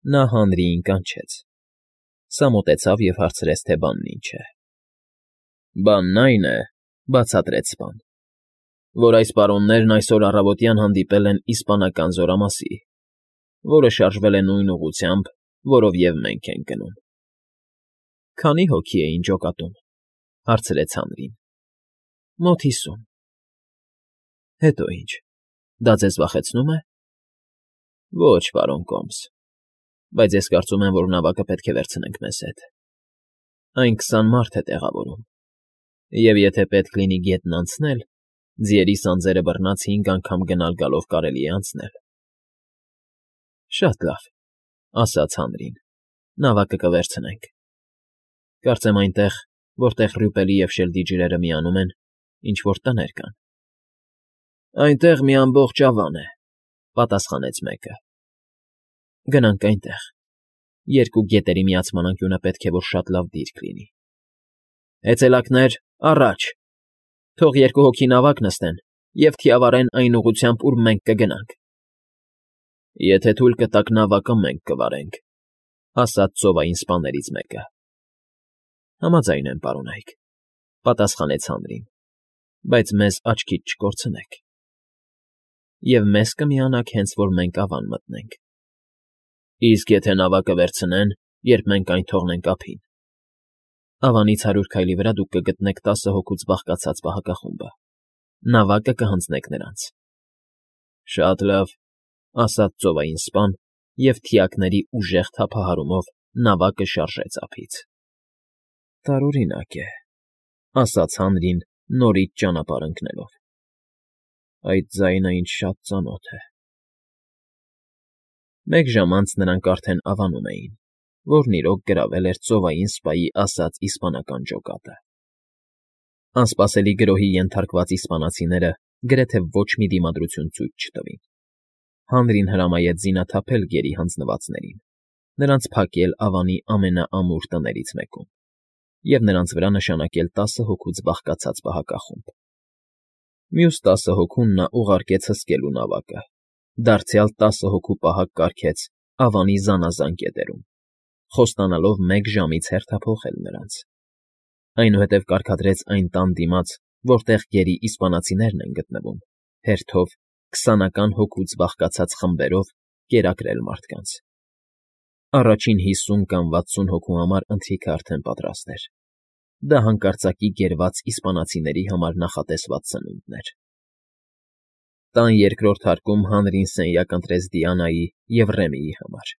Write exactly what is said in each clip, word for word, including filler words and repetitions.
Նա հանրիին կանչեց, սա մոտեցավ և հարցրեց, թե բանն ինչ է։ ֊ Բանն այն է,֊ բացատրեց սպան,֊ որ այս պարոններն այսօր առավոտյան հանդիպել են իսպանական զորամասի, որը շարժվել է նույն ուղղությամբ, որով և մենք ենք գնում։ ֊ Քանի՞ հոգի էին ջոկատում,֊ հարցրեց հանրին։ ֊ Մոտ հիսուն։ ֊ Հետո ի՞նչ, դա ձեզ վախեցնո՞ւմ է։ ֊ Ոչ, պարոն Կոմս, բայց ես կարծում եմ, որ նավակը պետք է վերցնենք մեզ հետ. այն քսան մարդ է տեղավորում, և եթե պետք լինի գետն անցնել, ձիերի սանձերը բռնած հինգ անգամ գնալ֊գալով կարելի է անցնել։ ֊ Շատ լավ,֊ ասաց հանրին,֊ նավակը կվերցնենք։ Կարծեմ այնտեղ, որտեղ Ռյուպելի և Շելդի ջրերը միանում են, ինչ֊որ տներ կան։ ֊ Այնտեղ մի ամբողջ ավան է,֊ պատասխանեց մեկը։ ֊ Գնանք այնտեղ, երկու գետերի միացման անկյունը պետք է որ շատ լավ դիրք լինի։ ֊ Հեծելաքներ, առաջ, թող երկու հոգի նավակ նստեն և թիավարեն այն ուղղությամբ, ուր մենք կգնանք։ ֊ Եթե թույլ կտաք, նավակը մենք կվարենք,֊ ասաց ծովային սպաներից մեկը։ ֊ Համաձայն եմ, պարոնայք,֊ պատասխանեց հանրին,֊ բայց մեզ աչքից չկորցնեք։ Եվ մեզ կմիանաք, հենց որ մենք ավան մտնենք։ ֊ Իսկ եթե նավակը վերցնեն, երբ մենք այն թողնենք ափին։ ֊ Ավանից հարյուր քայլի վրա դուք կգտնեք տասը հոգուց բաղկացած պահակախումբը, նավակը կհանձնեք նրանց։ ֊ Շատ լավ,֊ ասաց ծովային սպան և թիակների ուժեղ թափահարումով նավակը շարժեց ափից։ ֊ Տարօրինակ է,֊ ասաց հանրին, նորից ճանապարհ ընկնելով,֊ այդ ձայնը ինձ շատ ծանոթ է։ Մեկ ժամ անց նրանք արդեն ավանում էին, որն իրոք գրավել էր ծովային սպայի ասած իսպանական ջոկատը։ Անսպասելի գրոհի ենթարկված իսպանացիները գրեթե ոչ մի դիմադրություն ցույց չտվին։ Հանրին հրամայեց զինաթափել գերի հանձնվածներին, նրանց փակել ավանի ամենաամուր տներից մեկում և նրանց վրա նշանակել տասը հոգուց բաղկացած պահակախումբ։ Մյուս տասը հոգուն նա ուղարկեց հսկելու նավակը, դարձյալ տասը հոգու պահակ կարգեց ավանի զանազան կետերում, խոստանալով մեկ ժամից հերթափոխել նրանց։ Այնուհետև կարգադրեց այն տան դիմաց, որտեղ գերի իսպանացիներն են գտնվում, հերթով, քսանական հոգուց բաղկացած խմբերով կերակրել մարդկանց։ Առաջին հիսուն կամ վաթսուն հոգու համար ընթրիքը արդեն պատրաստ էր։ Դա հանկարծակի գերված իսպանացիների համար նախատեսված սնունդն էր։ Տան երկրորդ հարկում հանրին սենյակ ընտրեց Դիանայի և Ռեմիի համար,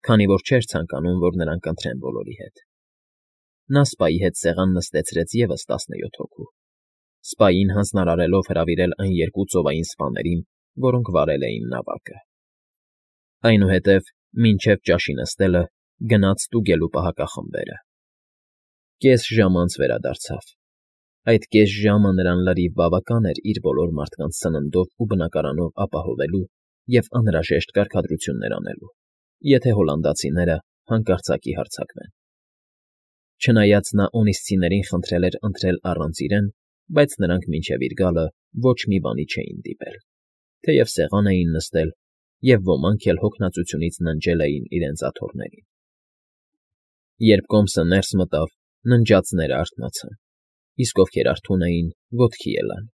քանի որ չէր ցանկանում, որ նրանք ընթրեն բոլորի հետ։ Նա սպայի հետ սեղան նստեցրեց ևս տասնյոթ հոգու, սպային հանձնարարելով հրավիրել այն երկու ծովային սպաներին, որոնք վարել էին նավակը։ Այնուհետև, մինչև ճաշի նստելը, գնաց ստուգելու պահակախմբերը։ Կես ժամ անց վերադարձավ։ Այդ կես ժամը նրան լրիվ բավական էր իր բոլոր մարդկանց սննդով ու բնակարանով ապահովելու և անհրաժեշտ կարգադրություններ անելու, եթե հոլանդացիները հանկարծակի հարձակվեն։ Չնայած նա օնիսցիներին խնդրել էր ընթրել առանց իրեն, բայց նրանք մինչև իր գալը ոչ մի բանի չէին դիպել, թեև սեղան էին նստել և ոմանք էլ հոգնածությունից ննջել էին իրենց աթոռներին։ Երբ կոմսը ներս մտավ, ննջածները արթնացան, իսկ ովքեր արթուն էին, ոտքի ելան։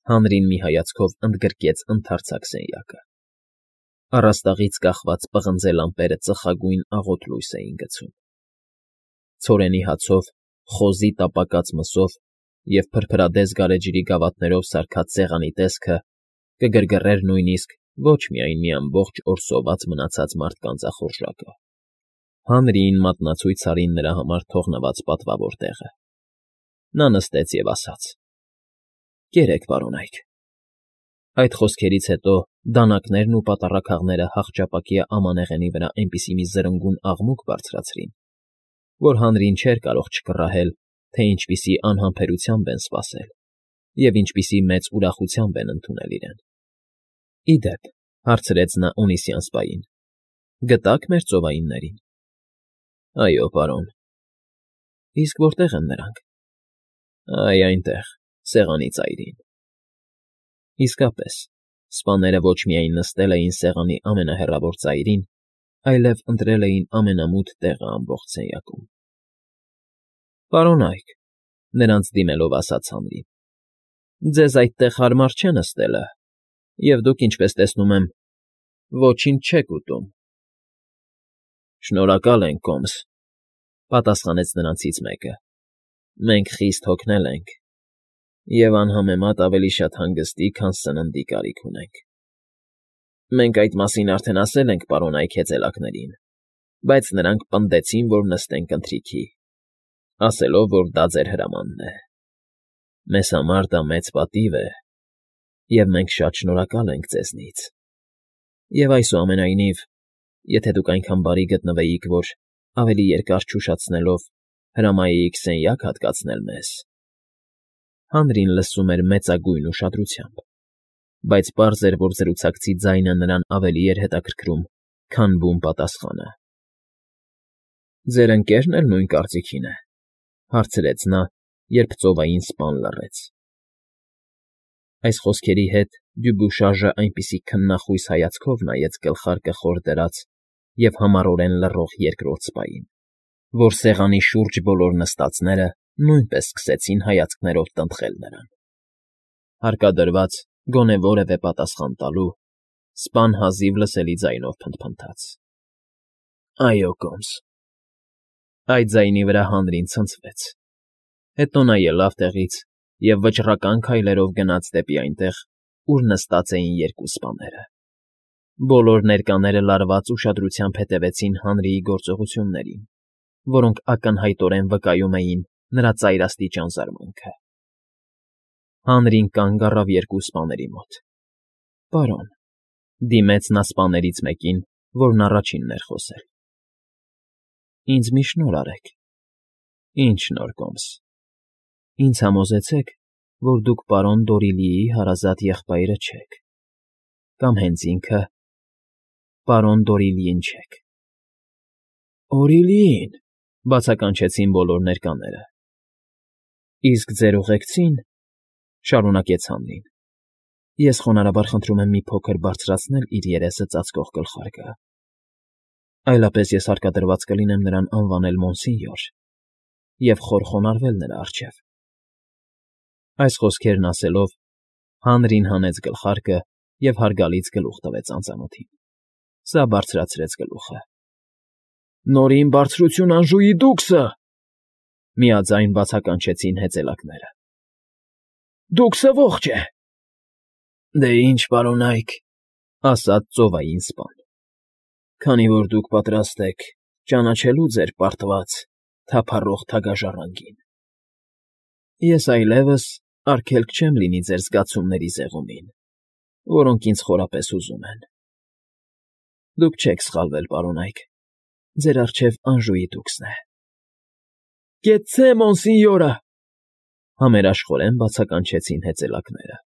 Հանրին մի հայացքով ընդգրկեց ընդարձակ սենյակը։ Առաստաղից կախված պղնձե լամպերը ծխագույն աղոտ լույս էին գցում։ Ցորենի հացով, խոզի տապակած մսով և փրփրադես գարեջրի գավաթներով սարքած սեղանի տեսքը կգրգռեր նույնիսկ ոչ միայն մի ամբողջ օր սոված մնացած մարդկանց ախորժակը։ Հանրիին մատնացույց արին նրա համար թողնված պատվավոր տեղը։ Նա նստեց և ասաց. «Կերեք, պարոնայք»։ Այդ խոսքերից հետո դանականերն ու պատառաքաղները հախճապակյա ամանեղենի վրա այնպիսի մի զրնգուն աղմուկ բարձրացրին, որ հանրին չէր կարող չկռահել, թե ինչպիսի անհամբերությամբ են սպասել և ինչպիսի մեծ ուրախությամբ են ընդունել իրեն։ ֊ Ի դեպ,֊ հարցրեց նա Օնիսյան սպային,֊ գտա՞ք մեր ծովայիններին։ ֊ Այո, պարոն։ ֊ Իսկ որտե՞ղ են նրանք։ ֊ Այ այնտեղ, սեղանի ծայրին։ Իսկապես, սպաները ոչ միայն նստել էին սեղանի ամենահեռավոր ծայրին, այլև ընտրել էին ամենամութ տեղը ամբողջ սենյակում։ ֊ Պարոննա՛յք,֊ նրանց դիմելով ասաց Հանրին,֊ ձեզ այդտեղ հարմար չէ նստելը, և դուք, ինչպես տեսնում եմ, ոչինչ չեք ուտում։ ֊ Շնորհակալ ենք, կոմս,֊ պատասխանեց նրանցից մեկը,֊ մենք խիստ հոգնել ենք և անհամեմատ ավելի շատ հանգստի, քան սննդի կարիք ունենք։ ֊ Մենք այդ մասին արդեն ասել ենք պարոննայք հեծելակներին, բայց նրանք պնդեցին, որ նստենք ընթրիքի, ասելով, որ դա ձեր հրամանն է։ Մեզ համար դա մեծ պատիվ է, և մենք շատ շնորհակալ ենք ձեզնից, և այսուամենայնիվ, եթե դուք այնքան բարի գտնվեիք, որ, ավելի երկար չուշացնելով, հրամայեիք սենյակ հատկացնել մեզ… Հանրին լսում էր մեծագույն ուշադրությամբ, բայց պարզ էր, որ զրուցակցի ձայնը նրան ավելի էր հետաքրքրում, քան բուն պատասխանը։ ֊ Ձեր ընկերն էլ նույն կարծիքին է,֊ հարցրեց նա, երբ ծովային սպան լռեց։ Այս խոսքերի հետ Դյուբուշաժը այնպիսի քննախույս հայացքով նայեց գլխարկը խոր դրած և համառորեն լռող երկրորդ սպային, որ սեղանի շուրջ բոլոր նստածները նույնպես սկսեցին հայացքներով տնտղել նրան։ Հարկադրված, գոնե որևէ պատասխան տալու, սպան հազիվ լսելի ձայնով փնթփնթաց. ֊ Այո, կոմս… Այդ ձայնի վրա Հանրին ցնցվեց, հետո նա ելավ տեղից և վճռական քայլերով գնաց դեպի այնտեղ, ուր նստած էին երկու սպաները։ Բոլոր ներկաները լարված ուշադրությամբ հետևեցին Հանրիի գործողություններին, որոնք ակնհայտորեն վկայում էին նրա ծայրաստիճան զարմանքը։ Հանրին կանգ առավ երկու սպաների մոտ։ ֊ Պարոն,֊ դիմեց նա սպաներից մեկին, որն առաջինն էր խոսել,֊ ինձ մի շնորհ արեք։ ֊ Ինչ շնորհ, կոմս։ ֊ Ինձ համոզեցեք, որ դուք պարոն Դորիլիի հարազատ եղբայրը չեք, կամ հենց ինքը պարոն Դորիլիին չեք։ ֊ Օրիլի՜ն,֊ բացականչեցին բոլոր ներկաները։ ֊ Իսկ ձեր ուղեկցին,֊ շարունակեց Հանրին,֊ ես խոնարհաբար խնդրում եմ մի փոքր բարձրացնել իր երեսը ծածկող գլխարկը, այլապես ես հարկադրված կլինեմ նրան անվանել մոնսինյոր և խոր խոնարհվել նրա առջև… Այս խոսքերն ասելով, Հանրին հանեց գլխարկը և հարգալից գլուխ տվեց անծանոթին։ Սա բարձրացրեց գլուխը։ ֊ Նորին բարձրություն Անժուի դուքսը,֊ միաձայն բացականչեցին հեծելակները։ ֊ Դուքսը ողջ է։ ֊ Դե ինչ, պարոննայք,֊ ասաց ծովային սպան,֊ քանի որ դուք պատրաստ եք ճանաչելու ձեր պարտված, թափառող թագաժառանգին, ես այլևս արգելք չեմ լինի ձեր զգացումների զեղումին, որոնք ինձ խորապես հուզում են։ Դուք չեք սխալվել, պարոննայք, ձեր առջև Անժուի դուքսն է։ ֊ Կեցցե, մոնսինյորը,֊ համերաշխորեն բացականչեցին հեծելակները։